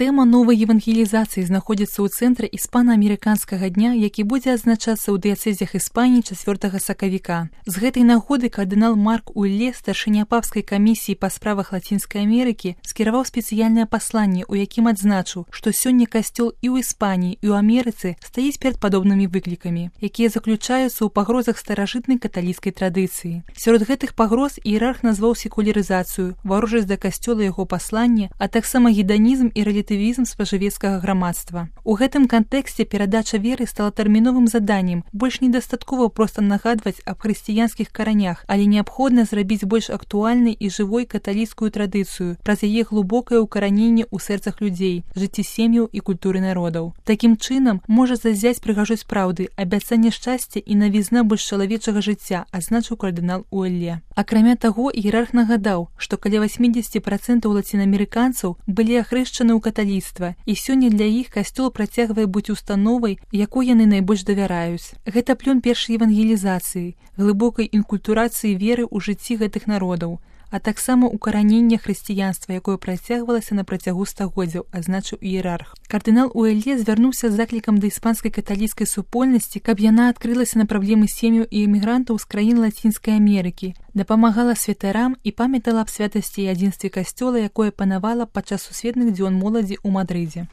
Тэма новай евангелізацыі знаходзіцца ў цэнтры іспана-амерыканскага дня, які будзе адзначацца ў дыяцэзях Іспаніі 4 сакавіка. З гэтай нагоды кардынал Марк Улле, старшыня папскай камісіі па справах Лацінскай Амерыкі, скіраваў спецыяльнае пасланне, у якім адзначыў, што сёння касцёл і ў Іспаніі, і ў Амерыцы стаіць перад падобнымі выклікамі, якія заключаюцца ў пагрозах старажытнай каталіцкай традыцыі. Сярод гэтых пагроз іерарх назваў секулярызацыю, варожасць да касцёла яго паслання, а таксама гедонізм і рэлятывізм спажывецкага грамадства. У гэтым кантэксце перадача веры стала тэрміновым заданнем. Больш недастаткова проста нагадваць аб хрысціянскіх каранях, але неабходна зрабіць больш актуальнай і жывой каталіцкую традыцыю праз яе глыбокае ўкараненне ў сэрцах людзей, жыцці сем'яў і культуры народаў. Такім чынам можа зазяць прыгажосць праўды, абяцанне шчасця і навізна больш чалавечага жыцця, адзначыў кардынал Улле. Акрамя таго, іерарх нагадаў, што каля 80% лацінаамерыканцаў былі ахрышчаны ў каталіцтва, і сёння для іх касцёл працягвае быць установай, якой яны найбольш давяраюць. Гэта плён першай евангелізацыі, глыбокай інкультурацыі веры ў жыцці гэтых народаў, а таксама укаранення хрысціянства, якое працягвалася на працягу стагоддзяў, адзначыў іерарх. Кардынал Улле звярнуўся з заклікам да іспанскай каталіцкай супольнасці, каб яна адкрылася на праблемы сем'яў і эмігрантаў з краін Лацінскай Амерыкі, дапамагала святарам і памятала аб святасці і адзінстве касцёла, якое панавала падчас сусветных дзён моладзі ў Мадрыдзе.